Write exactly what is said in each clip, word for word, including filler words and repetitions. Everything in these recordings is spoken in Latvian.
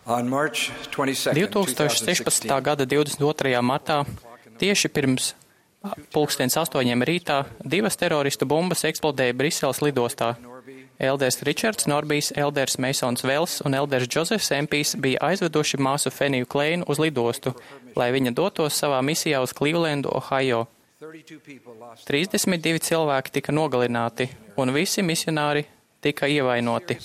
divtūkstoš sešpadsmitā gada divdesmit otrajā martā, tieši pirms pulkstens astoņiem rītā, divas teroristu bumbas eksplodēja Briseles lidostā. Elders Ričards Norbijs, Elders Meisons Vels un Elders Džozefs Empijs bija aizveduši māsu Feniju Kleinu uz lidostu, lai viņa dotos savā misijā uz Clevelandu, Ohio. trīsdesmit divi cilvēki tika nogalināti, un visi misionāri tika ievainoti.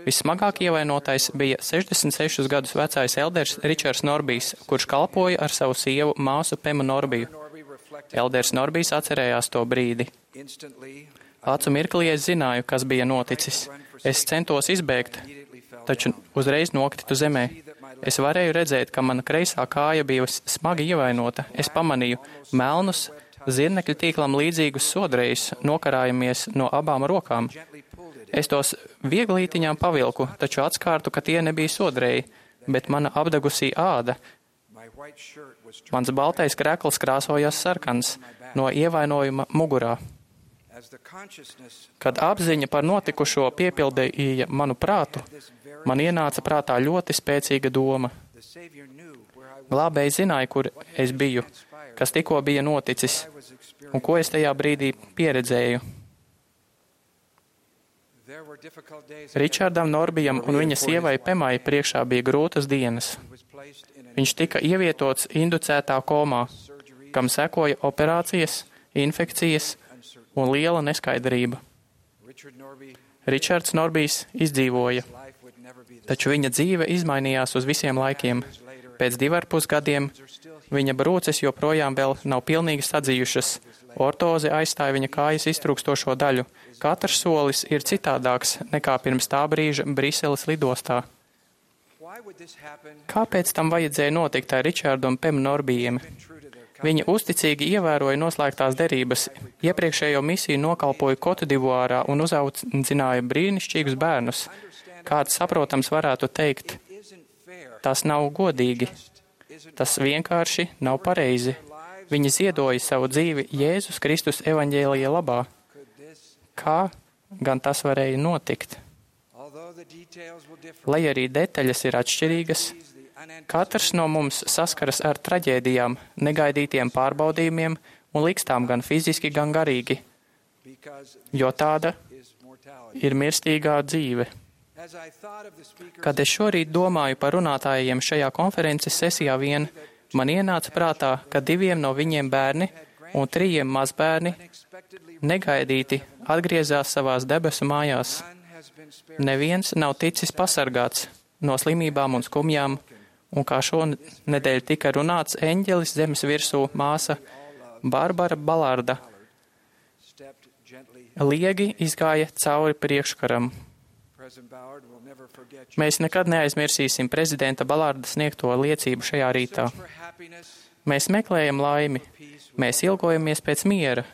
Vissmagāk ievainotais bija sešdesmit sešus gadus vecais Elders Ričards Norbijs, kurš kalpoja ar savu sievu māsu Pemu Norbiju. Elders Norbijs atcerējās to brīdi. Acu mirklī es zināju, kas bija noticis. Es centos izbēgt, taču uzreiz nokritu zemē. Es varēju redzēt, ka mana kreisā kāja bija smagi ievainota. Es pamanīju melnus, zirnekļu tīklam līdzīgus sodrējus, nokarājamies no abām rokām. Es tos vieglītiņām pavilku, taču atskārtu, ka tie nebija sodrēji, bet mana apdegusī āda. Mans baltais krekls krāsojās sarkans no ievainojuma mugurā. Kad apziņa par notikušo piepildīja manu prātu, man ienāca prātā ļoti spēcīga doma. Glābējs zināja, kur es biju, kas tikko bija noticis, un ko es tajā brīdī pieredzēju. Ričardam Norbijam un viņa sievai Pemai priekšā bija grūtas dienas. Viņš tika ievietots inducētā komā, kam sekoja operācijas, infekcijas un liela neskaidrība. Ričards Norbijs izdzīvoja, taču viņa dzīve izmainījās uz visiem laikiem. Pēc divarpus gadiem viņa brūces joprojām vēl nav pilnīgi sadzījušas. Ortoze aizstāja viņa kājas iztrūkstošo daļu. Katrs solis ir citādāks nekā pirms tā brīža Briseles lidostā. Kāpēc tam vajadzēja notikt ar Ričārdu un Pemu Norbijiem? Viņi uzticīgi ievēroja noslēgtās derības, iepriekšējo misiju nokalpoja Kotdivuārā un uzaudzināja brīnišķīgus bērnus. Kāds saprotams varētu teikt, tas nav godīgi, tas vienkārši nav pareizi. Viņi ziedoja savu dzīvi Jēzus Kristus evaņģēlija labā. Kā gan tas varēja notikt? Lai arī detaļas ir atšķirīgas, katrs no mums saskaras ar traģēdijām, negaidītiem pārbaudījumiem un likstām gan fiziski, gan garīgi, jo tāda ir mirstīgā dzīve. Kad es šorīt domāju par runātājiem šajā konferences sesijā vien, man ienāca prātā, ka diviem no viņiem bērni un trījiem mazbērni negaidīti atgriezās savās debesu mājās. Neviens nav ticis pasargāts no slimībām un skumjām, un kā šonedēļ tika runāts, eņģelis zemes virsū māsa Barbara Balarda liegi izgāja cauri priekškaram. Mēs nekad neaizmirsīsim prezidenta Balarda sniegto liecību šajā rītā. Mēs meklējam laimi, mēs ilgojamies pēc miera.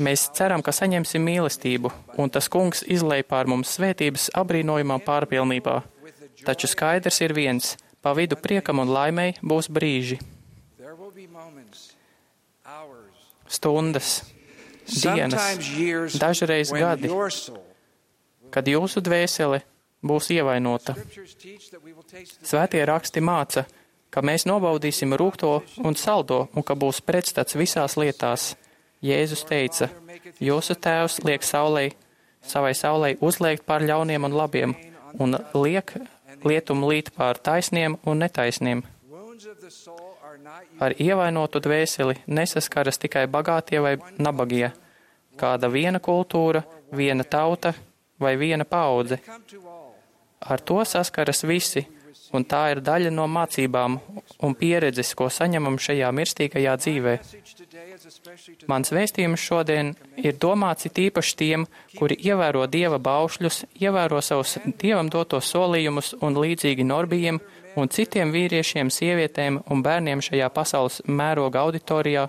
Mēs ceram, ka saņemsim mīlestību, un tas kungs izlej pār mums svētības abrīnojumā pārpilnībā. Taču skaidrs ir viens, pa vidu priekam un laimei būs brīži, stundas, dienas, dažreiz gadi, kad jūsu dvēsele būs ievainota. Svētie raksti māca, ka mēs nobaudīsim rūgto un saldo, un ka būs pretstats visās lietās. Jēzus teica, jūsu tēvs liek saulei, savai saulei uzliekt pār ļauniem un labiem, un liek lietumu līt pār taisniem un netaisniem. Ar ievainotu dvēseli nesaskaras tikai bagātie vai nabagie, kāda viena kultūra, viena tauta vai viena paudze. Ar to saskaras visi, un tā ir daļa no mācībām un pieredzes, ko saņemam šajā mirstīgajā dzīvē. Mans vēstījums šodien ir domāts it īpaši tiem, kuri ievēro Dieva baušļus, ievēro savus Dievam dotos solījumus un līdzīgi Norbijiem un citiem vīriešiem, sievietēm un bērniem šajā pasaules mēroga auditorijā,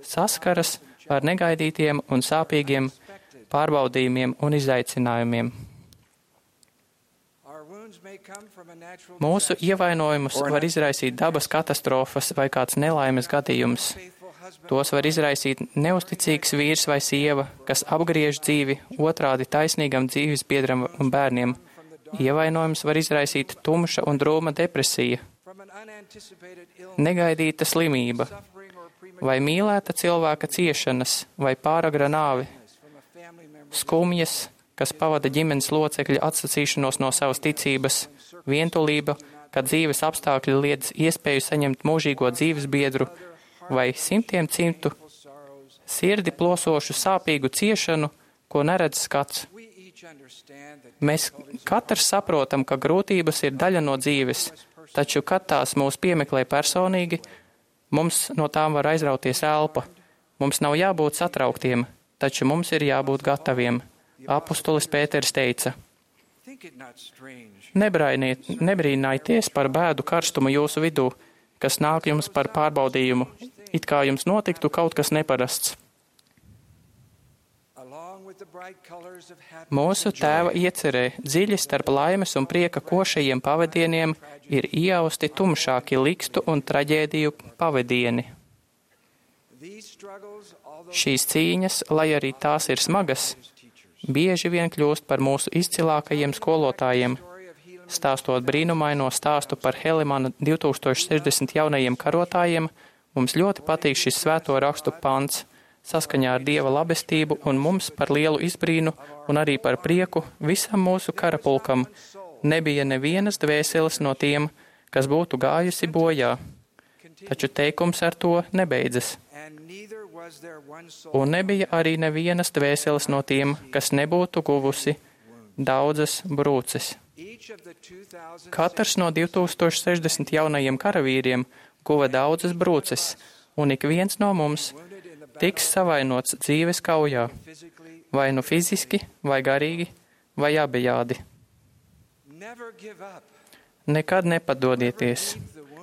saskaras ar negaidītiem un sāpīgiem pārbaudījumiem un izaicinājumiem. Mūsu ievainojumus var izraisīt dabas katastrofas vai kāds nelaimes gadījums. Tos var izraisīt neusticīgs vīrs vai sieva, kas apgriež dzīvi otrādi taisnīgam dzīvesbiedram un bērniem. Ievainojums var izraisīt tumša un drūma depresija, negaidīta slimība, vai mīlēta cilvēka ciešanas, vai pāragra nāve, skumjas, kas pavada ģimenes locekļa atsacīšanos no savas ticības, vientulība, kad dzīves apstākļi liedz iespēju saņemt mūžīgo dzīves biedru, vai simtiem cimtu sirdi plosošu sāpīgu ciešanu, ko neredz skats. Mēs katrs saprotam, ka grūtības ir daļa no dzīves, taču, kad tās mūs piemeklē personīgi, mums no tām var aizrauties elpa. Mums nav jābūt satrauktiem, taču mums ir jābūt gataviem. Apustulis Pēters teica: Nebrīnājieties par bēdu karstumu jūsu vidū, kas nāk jums par pārbaudījumu, it kā jums notiktu kaut kas neparasts. Mūsu Tēva iecerē dziļi starp laimes un prieka košajiem pavadieniem ir iausti tumšāki likstu un traģēdiju pavadieni. Šīs cīņas, lai arī tās ir smagas, bieži vien kļūst par mūsu izcilākajiem skolotājiem. Stāstot brīnumaino stāstu par Helimana divtūkstoš sešdesmit jaunajiem karotājiem, mums ļoti patīk šis svēto rakstu pants. Saskaņā ar Dieva labestību un mums par lielu izbrīnu un arī par prieku visam mūsu karapulkam nebija nevienas dvēseles no tiem, kas būtu gājusi bojā. Taču teikums ar to nebeidzas. Un nebija arī nevienas dvēseles no tiem, kas nebūtu guvusi daudzas brūces. Katrs no divtūkstoš sešdesmit jaunajiem karavīriem guva daudzas brūces, un ik viens no mums tiks savainots dzīves kaujā, vai nu fiziski, vai garīgi, vai abejādi. Nekad nepadodieties,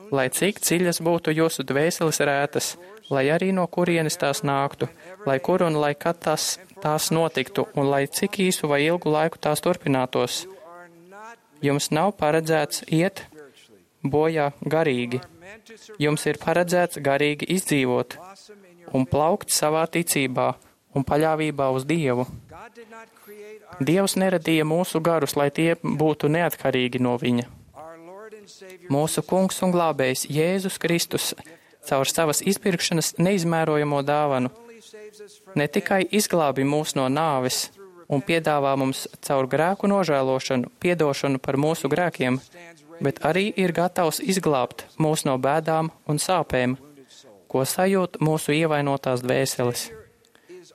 lai cik dziļas būtu jūsu dvēseles rētas, lai arī no kurienes tās nāktu, lai kur un lai kad tās, tās notiktu, un lai cik īsu vai ilgu laiku tās turpinātos. Jums nav paredzēts iet bojā garīgi. Jums ir paredzēts garīgi izdzīvot un plaukt savā ticībā un paļāvībā uz Dievu. Dievs neradīja mūsu garus, lai tie būtu neatkarīgi no Viņa. Mūsu Kungs un Glābējs Jēzus Kristus caur savas izpirkšanas neizmērojamo dāvanu ne tikai izglābi mūs no nāves un piedāvā mums caur grēku nožēlošanu piedošanu par mūsu grēkiem, bet arī ir gatavs izglābt mūs no bēdām un sāpēm, ko sajūt mūsu ievainotās dvēseles.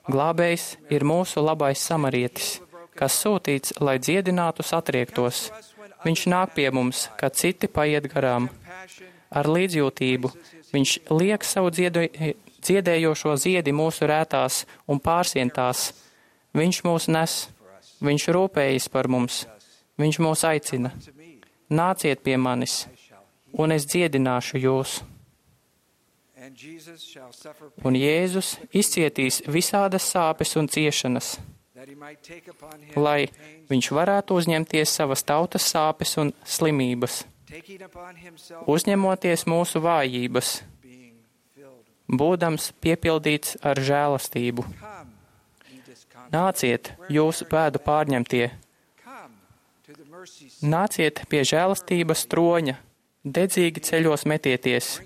Glābējs ir mūsu labais samarietis, kas sūtīts, lai dziedinātu satriektos. Viņš nāk pie mums, kad citi paiet garām. Ar līdzjūtību viņš liek savu dziedē, dziedējošo ziedi mūsu rētās un pārsientās. Viņš mūs nes, viņš rūpējas par mums, viņš mūs aicina. Nāciet pie manis, un es dziedināšu jūs. Un Jēzus izcietīs visādas sāpes un ciešanas, lai viņš varētu uzņemties savas tautas sāpes un slimības, uzņemoties mūsu vājības, būdams piepildīts ar žēlastību. Nāciet, jūsu pēdu pārņemtie, nāciet pie žēlastības troņa, dedzīgi ceļos metieties.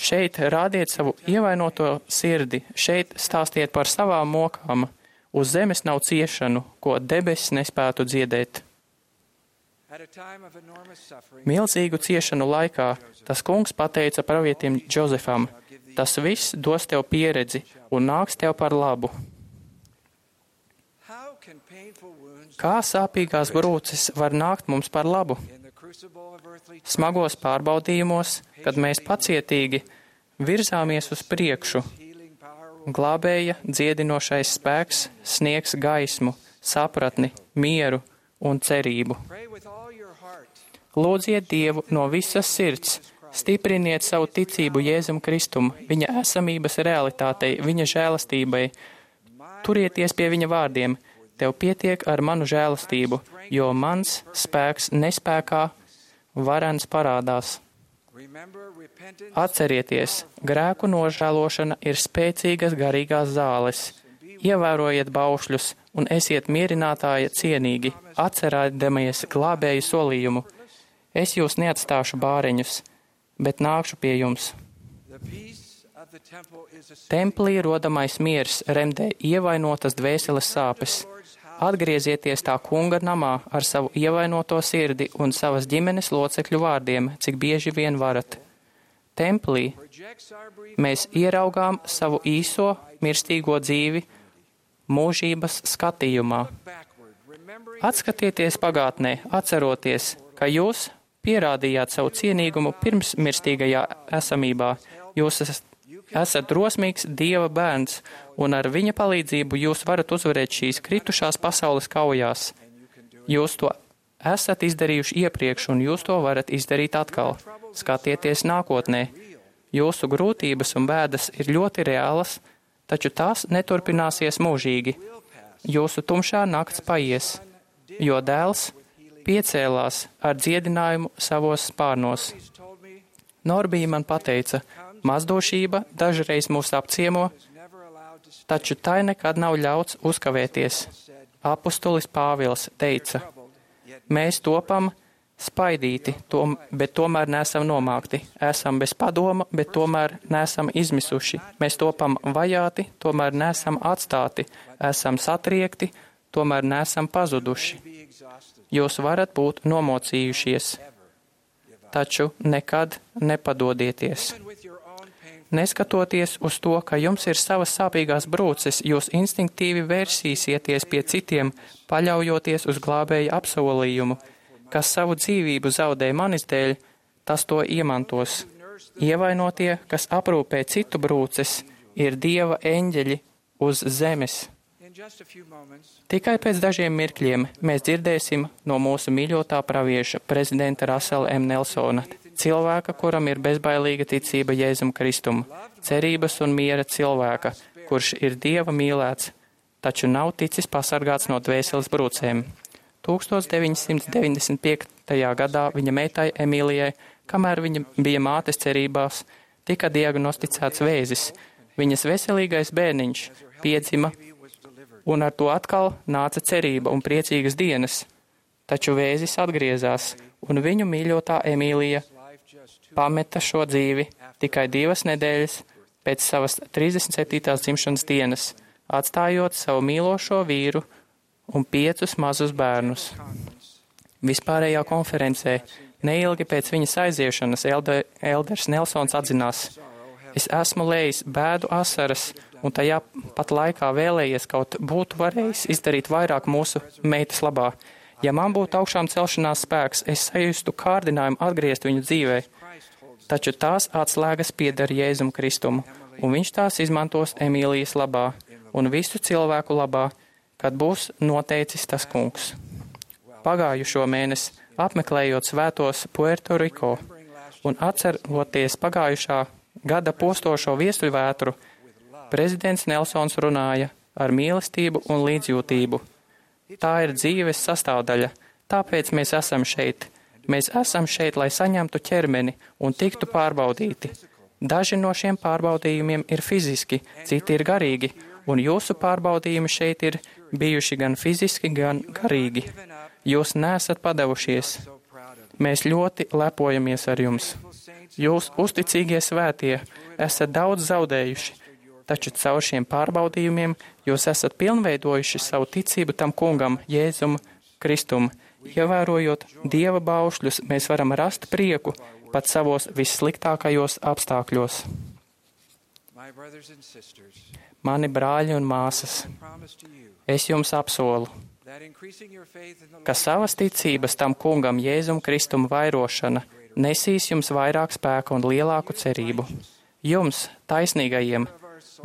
Šeit rādiet savu ievainoto sirdi, šeit stāstiet par savām mokām. Uz zemes nav ciešanu, ko debesis nespētu dziedēt. Milzīgu ciešanu laikā tas kungs pateica pravietim Džozefam: tas viss dos tev pieredzi un nāks tev par labu. Kā sāpīgās brūces var nākt mums par labu? Smagos pārbaudījumos, kad mēs pacietīgi virzāmies uz priekšu, Glābēja dziedinošais spēks sniegs gaismu, sapratni, mieru un cerību. Lūdziet Dievu no visas sirds, stipriniet savu ticību Jēzum Kristum, viņa esamības realitātei, viņa žēlastībai. Turieties pie viņa vārdiem: tev pietiek ar manu žēlastību, jo mans spēks nespēkā varens parādās. Atcerieties, grēku nožēlošana ir spēcīgas garīgās zāles. Ievērojiet baušļus un esiet mierinātāja cienīgi, atcerēdamies glābēju solījumu. Es jūs neatstāšu bāreņus, bet nākšu pie jums. Templī rodamais miers remdē ievainotas dvēseles sāpes. Atgriezieties tā kunga namā ar savu ievainoto sirdi un savas ģimenes locekļu vārdiem, cik bieži vien varat. Templī mēs ieraugām savu īso, mirstīgo dzīvi mūžības skatījumā. Atskatieties pagātnē, atceroties, ka jūs pierādījāt savu cienīgumu pirms mirstīgajā esamībā. Jūs esat, esat drosmīgs Dieva bērns, un ar viņa palīdzību jūs varat uzvarēt šīs kritušās pasaules kaujās. Jūs to esat izdarījuši iepriekš, un jūs to varat izdarīt atkal. Skatieties nākotnē. Jūsu grūtības un bēdas ir ļoti reālas, taču tās neturpināsies mūžīgi. Jūsu tumšā nakts paies, jo dēls piecēlās ar dziedinājumu savos spārnos. Norbija man pateica, mazdošība dažreiz mūs apciemo, taču tai nekad nav ļauts uzkavēties. Apustulis Pāvils teica, mēs topam spaidīti, tom, bet tomēr nesam nomākti. Esam bez padoma, bet tomēr nesam izmisuši. Mēs topam vajāti, tomēr nesam atstāti. Esam satriekti, tomēr nesam pazuduši. Jūs varat būt nomocījušies, taču nekad nepadodieties. Neskatoties uz to, ka jums ir savas sāpīgās brūces, jūs instinktīvi vērsīsieties pie citiem, paļaujoties uz glābēja apsolījumu, kas savu dzīvību zaudē manis dēļ, tas to iemantos. Ievainotie, kas aprūpē citu brūces, ir Dieva eņģeļi uz zemes. Tikai pēc dažiem mirkļiem mēs dzirdēsim no mūsu mīļotā pravieša, prezidenta Rasela M. Nelsona, cilvēka, kuram ir bezbailīga ticība Jēzum Kristum, cerības un miera cilvēka, kurš ir Dieva mīlēts, taču nav ticis pasargāts no dvēseles brūcēm. tūkstoš deviņsimt deviņdesmit piektajā gadā viņa meitai Emīlijai, kamēr viņa bija mātes cerībās, tika diagnosticēts vēzis. Viņas veselīgais bērniņš piedzima, un ar to atkal nāca cerība un priecīgas dienas. Taču vēzis atgriezās, un viņu mīļotā Emīlija pameta šo dzīvi tikai divas nedēļas pēc savas trīsdesmit septītās dzimšanas dienas, atstājot savu mīlošo vīru un piecus mazus bērnus. Vispārējā konferencē, neilgi pēc viņas aiziešanas, Elde, Elders Nelsons atzinās, es esmu lējis bēdu asaras, un tajā pat laikā vēlējies kaut būtu varējis izdarīt vairāk mūsu meitas labā. Ja man būtu augšām celšanās spēks, es sajustu kārdinājumu atgriezt viņu dzīvē, taču tās atslēgas pieder Jēzum Kristumu, un viņš tās izmantos Emīlijas labā un visu cilvēku labā, kad būs noteicis tas kungs. Pagājušo mēnesi, apmeklējot svētos Puerto Rico un atceroties pagājušā gada postošo viesuļvētru, prezidents Nelsons runāja ar mīlestību un līdzjūtību. Tā ir dzīves sastāvdaļa, tāpēc mēs esam šeit. Mēs esam šeit, lai saņemtu ķermeni un tiktu pārbaudīti. Daži no šiem pārbaudījumiem ir fiziski, citi ir garīgi, un jūsu pārbaudījumi šeit ir bijuši gan fiziski, gan garīgi. Jūs neesat padevušies. Mēs ļoti lepojamies ar jums. Jūs, uzticīgie svētie, esat daudz zaudējuši, taču caur šiem pārbaudījumiem jūs esat pilnveidojuši savu ticību tam kungam, Jēzum Kristum. Ievērojot Dieva baušļus, mēs varam rast prieku pat savos vissliktākajos apstākļos. Mani brāļi un māsas, es jums apsolu, ka savas ticības tam kungam Jēzum Kristum vairošana nesīs jums vairāk spēka un lielāku cerību. Jums, taisnīgajiem,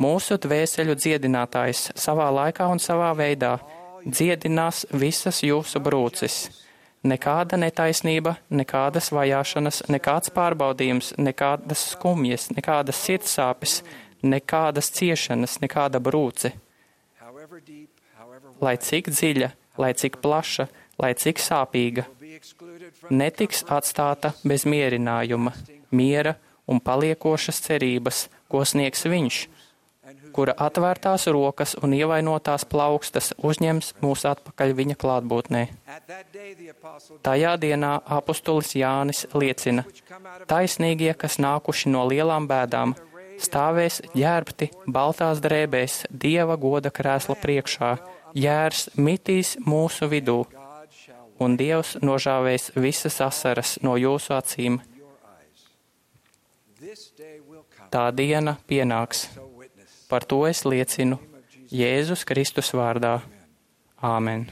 mūsu dvēseļu dziedinātājs savā laikā un savā veidā dziedinās visas jūsu brūces. Nekāda netaisnība, nekādas vajāšanas, nekāds pārbaudījums, nekādas skumjas, nekādas sirdsāpes, nekādas ciešanas, nekāda brūce. Lai cik dziļa, lai cik plaša, lai cik sāpīga, netiks atstāta bez mierinājuma, miera un paliekošas cerības, ko sniegs viņš, kura atvērtās rokas un ievainotās plaukstas uzņems mūs atpakaļ viņa klātbūtnē. Tajā dienā apustulis Jānis liecina, taisnīgie, kas nākuši no lielām bēdām, stāvēs ģērbti baltās drēbēs Dieva goda krēsla priekšā, jērs mitīs mūsu vidū, un Dievs nožāvēs visas asaras no jūsu acīm. Tā diena pienāks. Par to es liecinu Jēzus Kristus vārdā. Āmen.